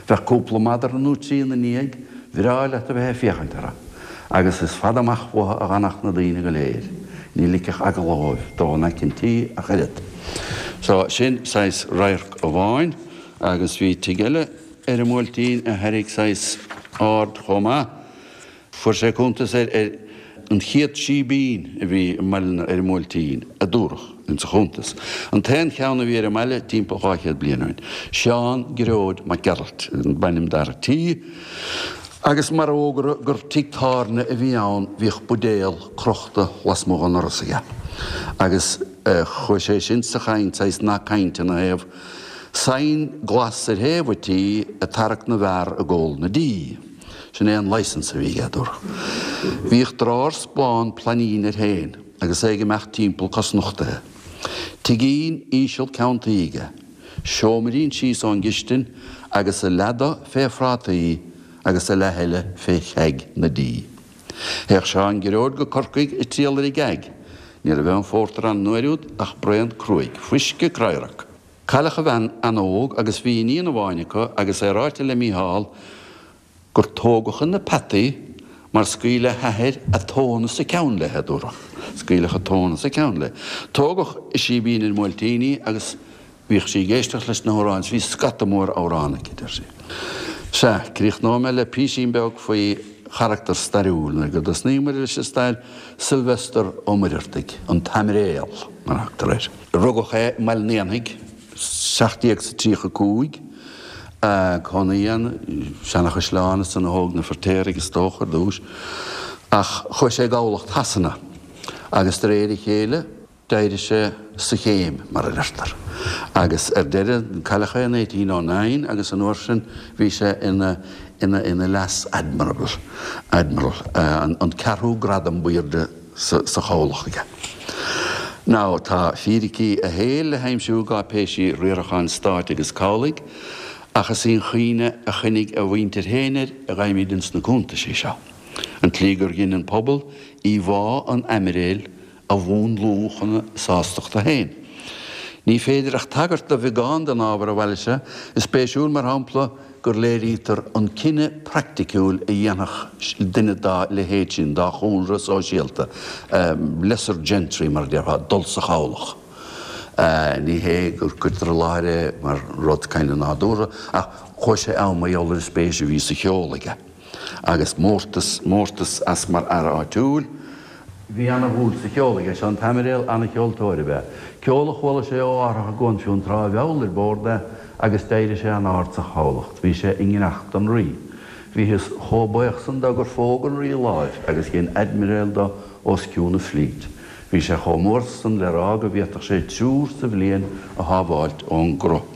S2: Bheadh cúpla madra nó trí ina ndiaidh, bhreá leat a bheith ag féachaint orthu. Agus is fada amach uathu a dh'fhanadh na daoine go léir. Ní ligfeadh eagla dhóibh dul in aice an tí ach oiread. So, sin saghas radharc amháin agus bhí tigh eile ar an mBuailtín a thairrig saghas aird chomh maith. Fuair sé cuntas ar an chéad síbín a bhí i mbaile ar an mBuailtín, a dúradh insa chuntas. An t-aon cheann a bhí ar an mbaile timpeall dhá chéad bliain ó shin. Seán Gearóid Mac Gearailt b'ainm d'fhear an tí agus mar fhógra gur tigh tábhairne a bhí ann bhíodh buidéal crochta lasmuigh den ndoras aige agus chuaigh sé sin sa chaint, saghas nath cainte ina thaobh, Sign glas ar thaobh an tí ag tarrac na bhfear ag ól na dí. Sin é an licence a bhí aige, a dúradh. Bhíodh drárs bán plainín air féin agus é ag imeacht timpeall cosnochtaithe. Tigín íseal ceann tuí aige, seoimrín síos ón gcistin agus a leath do fé phrátaí agus a leath eile fé cheaig na dí. Théadh Seán Gearóid go Corcaigh ag triall ar an gceaig. Ní raibh aon phórtar ann an uair úd ach braon cruaidh, fuisce cradharc. Cailleadh a bhean an-óg agus bhí iníon amháin acu agus é ráite le Mícheál gur tógadh ina peataí mar scaoileadh a hathair a tóin as a ceann léi, a dúradh. Scaoileadh a tóin as a ceann léi. Tógadh i Síbín an Bhuailtín í agus bhíodh sí ag éisteacht leis na hamhráin is bhí scata mór amhrán aici, deir sí. Sea, críochnóidh mé le písín beag faoi charachtar stairiúil, nuair go dtosnaíomar leis an stair, Sylvester Ó Muircheartaigh, an tAimiréal, mar a thugtar air. Rugadh é i mBaile an Éanaigh, seacht déag 's a tríocha cúig, cónaí ann, seanachaisleán ansan a thóg na Feirtéaraigh is dócha ar dtús, ach chuaigh sé i gcabhlach Shasana agus de réir a chéile d'éirigh sé sa chéim, mar a deirtear, agus ar deireadh cailleadh é in eighteen oh nine agus an uair sin bhí sé ina ina ina leas-admiral, admiral, an an ceathrú gradam b'airde sa sa chabhlach aige. Now tá fíricí a shaoil le haimsiú i gcáipéisí riaracháin stáit agus cabhlaigh, ach is í an chuimhne a choinnigh a mhuintir féin air a gheibhimid ins na cuntaisí seo, an tslí gur dhein an pobal íomhá an aimiréil a mhúnlú chun a sástachta féin. Ní féidir ach tagairt do bheagán den ábhar a bhailigh sé. Is spéisiúil, mar shampla, gur léirítear an cinneadh praiticiúil a dhéanfadh duine dá leithéid sin, dá chúlra sóisialta, lesser gentry mar a déarfá, dul sa chabhlach. Ní hé gur cuirtear i láthair é mar rud kind of nádúrtha, ach chuaigh sé ann mar gheall ar an spéis a bhí sa cheol aige agus mórtas, mórtas as mar fhear áitiúil. Bhí ana-dhúil sa cheol aige, seo an t-aimiréal, ana-cheoltóir ab ea. Ceol a chuala sé ó árthach i gCuan Fionntrá a mheall ar bord é agus d'éirigh sé an-ard sa chabhlach. Bhí sé i ngineacht don Rí. Bhíothas chomh buíoch san dó gur phóg an Rí a láimh agus dhein aidmiréal dó os cionn an flít. Bhí sé chomh mór san le rá go bhféadfadh sé triúr sa bhliain a shábháilt ón gcruth.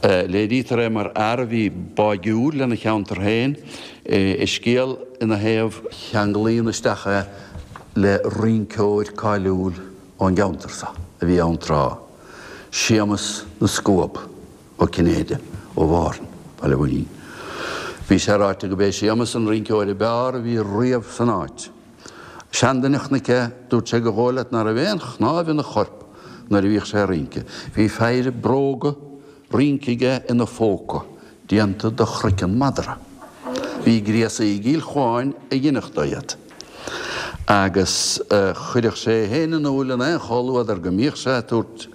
S2: Léirítear é mar fhear a bhí báigiúil lena cheantar féin. I scéal ina thaobh, ceanglaíonn isteach é le rinceoir cáiliúil ón gceantar seo a bhí ann tráth, Séamus na Scuab Ó Cinnéide ó Mhárthain, Baile Bhuirne. Bhí sé ráite go b'é Séamus an rinceoir ab fhearr a bhí riamh san áit. Seanduine a chonaic é, dúirt sé gur dhóigh leat ná raibh aon chnámh ina chorp nuair a bhíodh sé ag rince. Bhí peidhre bróga rince aige ina phóca, déanta de chroiceann madra. Bhí gréasaí i gCill Chuáin a dheinfeadh dó iad. Agus chuireadh sé é féin in iúl in aon chomhluadar go mbíodh sé ag tabhairt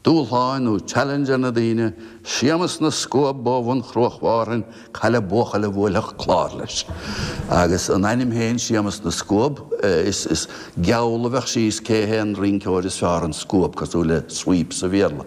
S2: dúshláin nó challenge ar na daoine, Séamus na Scuab ó bhun Chruach Mhárthain, caille buachaill a bhuailfeadh clár leis. Agus an ainm féin, Séamus na Scuab, is is geall a bheadh síos cé hé an rinceoir is fearr, an scuab, cosúil le sweep sa Bhéarla.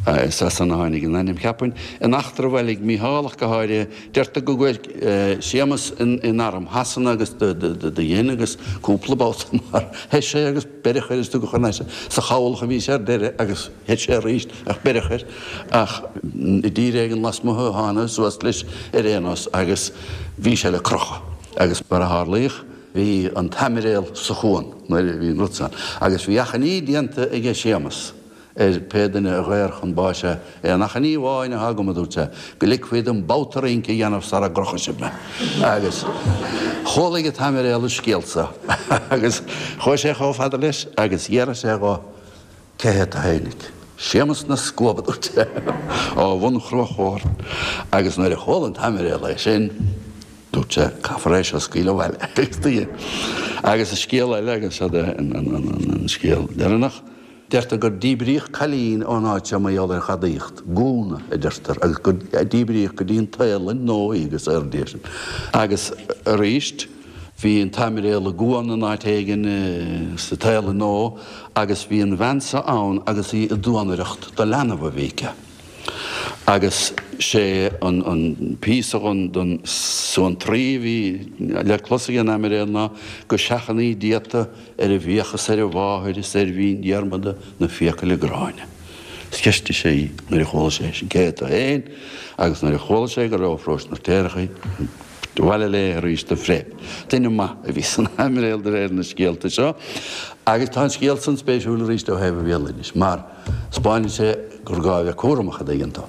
S2: Is as san a tháinig an ainm, cheapfainn. In eachtra a bhailigh Mícheál ach go háirithe, deirtear go gcuaigh Séamus in arm Shasana agus do dhein agus cúpla babhta mar theith sé agus beireadh air is tugadh thar n-ais é. Sa chabhlach a bhí sé ar deireadh agus theith sé arís ach beireadh air ach i dtír éigin lasmuigh a thána suas leis ar aon nós agus bhí sé le crochadh. Agus mar a tharlaíodh bhí an t-aimiréal sa chuan nuair a bhí an rud san agus bhí achainí déanta aige Séamus ar pé duine a dhaor chun báis é, É an achainí amháin atá agam, a dúirt sé, go ligfí dom babhta rince a dhéanamh sara gcrochfaidh sibh mé. Agus chualaigh an t-aimiréal an scéal so agus chuaigh sé chomh fada leis agus d'fhiafraigh sé dho, Cé hé tú fhéinig? Séamus na Scuab, a dúirt sé, ó bhun Chruach Mhárthain. Agus nuair a chuala an t-aimiréal é sin, dúirt sé, Caithfear é seo a scaoileadh abhaile. Agus do dhein. Agus an scéal eile, agus seo an scéal deireanach, Deirtear gur díbríodh cailín ón áit seo mar gheall ar ghadaíocht, gúna, a deirtear, agus gur díbríodh go dtí an tSaolainn Nua í agus airde sin. Agus arís, bhí an t-aimiréal i gcuan in áit éigin sa tSaolainn Nua agus bhí an bhean seo ann agus í ag duanaireacht do leanbh a bhí aici. Agus sé an píosa den suantraí a bhí le clos ag an Aimiréal ná go seachnaí Dia tú ar a bhfiacha is ar a mháthair is ar Mhín Dhiarmada na fiacaile gránna. Is cheistigh sé í nuair a chuala sé sin cé hé tú féin agus nuair a chuala sé go raibh ó Pharóiste na bhFeirtéarach í, abhaile léi arís de phreib. Duine maith a bhí san Aimiréal de réir na scéalta seo agus tá an scéal san spéisiúil arís ó thaobh an bhéaloidis mar 'spáineann sé gur gá a bheith cúramach, a dtuigeann tú.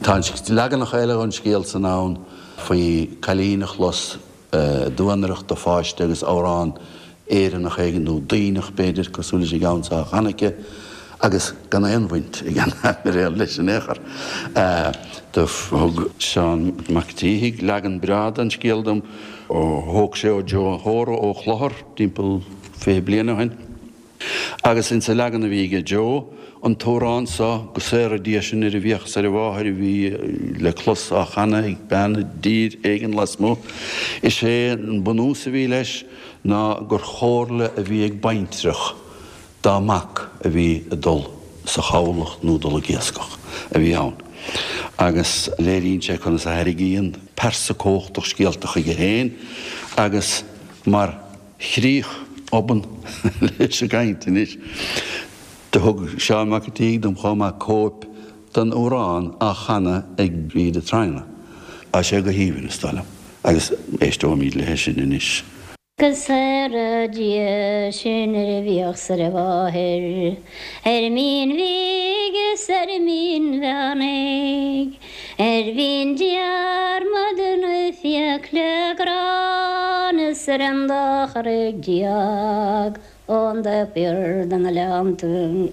S2: Tá leaganacha eile den scéal san ann faoi cailín a chlos ag duanaireacht do pháiste agus amhrán Éireannach éigin, nó Duibhneach b'fhéidir, cosúil leis an gceann seo á chanadh aici Agus gan aon bhaint ag an aimiréal leis in aon chor. Do thug Seán Mac an tSíthigh leagan breá den scéal dom ó thóg sé ó Joe Hóra ó Chlochar timpeall fiche bliain ó shin. Agus insa leagan a bhí aige Joe, an t-amhrán so, Go Saora Dia Sinn ar a bhFiach is ar a Mháthair a bhí le clos á chanadh ag bean i dtír éigin lasmuigh, is é an bunús a bhí leis ná gur chomhairle a bhí ag baintreach dá mac a bhí ag dul sa chabhlach nó dul ag iascach a bhí ann. Agus léiríonn sé conas a tharraingíonn pearsa cumhachtach scéalta chuige féin agus mar chríoch obann leis an gcaint anois, do thug Seán Mac an tSíthigh dom chomh maith cóip den amhrán á chanadh ag Bríd a' Traona. Tá sé go haoibhinn, is dóigh liom, agus éisteoimid léi sin anois.
S3: Go saora Dia sinn ar a bhFiach 's ar a Mháthair, ar an Mín Bhig is ar an Mín Mheánaigh, ar Mhín Diarmada na fiacla gránna is ar an dá charraig déag ón dtaobh thiar de na Gleannta.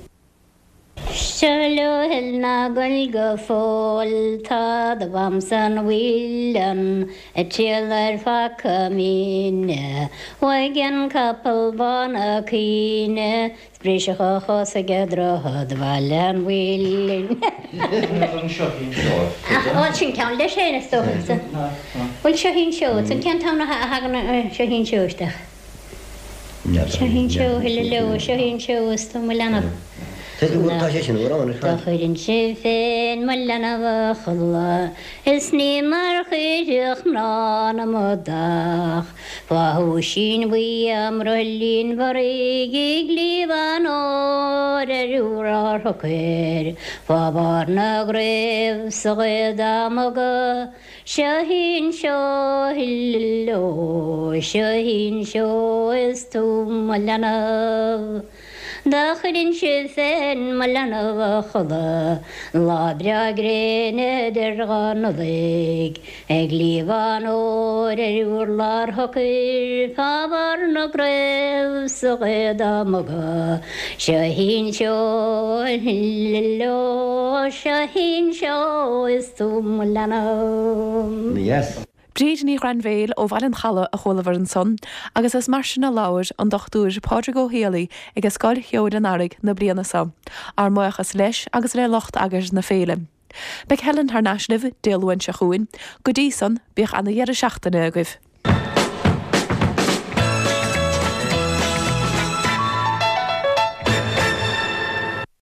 S3: Seo leo thoil ná gol go fóill tá do mham san mhuileann ag triall ar phaca mine. Uaidh an capall bán a' caoineadh 's briseadh a chos ag droichead Bhaile an Mhuilinn. Bhuel sin ceann leis féin is dócha. Bhuel seo í an seó, an cén t-am a thagann seo í an seó isteach? Seo í an seó, thuilleadh leo, seo í an seó is tú mo leanbh.
S4: Tá sé sin amhrán ar
S3: Do
S4: fad.
S3: chuirinnse féin mo leanbh a chodladh is ní mar chuirfeadh mná na mbodach Fá thúisín bhuí i mbroillín bhorraigh i gcliabh an óir ar urlár shocair Fá bharr na gcraobh sa ghaoth dá mbogadh Seo í an seó thuilleadh leo, seo í an seó is tú mo leanbh. Dá chuirinnse féin mo leanbh a chodladh lá breá gréine idir dhá Nollaig ag cliabhán óir ar urlár shocair fá bharr na gcraobh sa ghaoth dá mbogadh. Seo í an seó leo, seo í an seó is tú mo leanbh.
S4: Yes.
S1: Bríd Ní Ghrainbhéil ó Bhaile an Chalaidh a chualabhar ansan, agus is mar sin a labhair an Dochtúir Pádraig Ó Héalaí ag Scoil Cheoil an Earraigh na bliana seo, ár mbuíochas leis agus le lucht eagair na féile. Beidh Helen thar n-ais libh Dé Luain seo chugainn, go dtí san bíodh ana dheireadh seachtaine agaibh.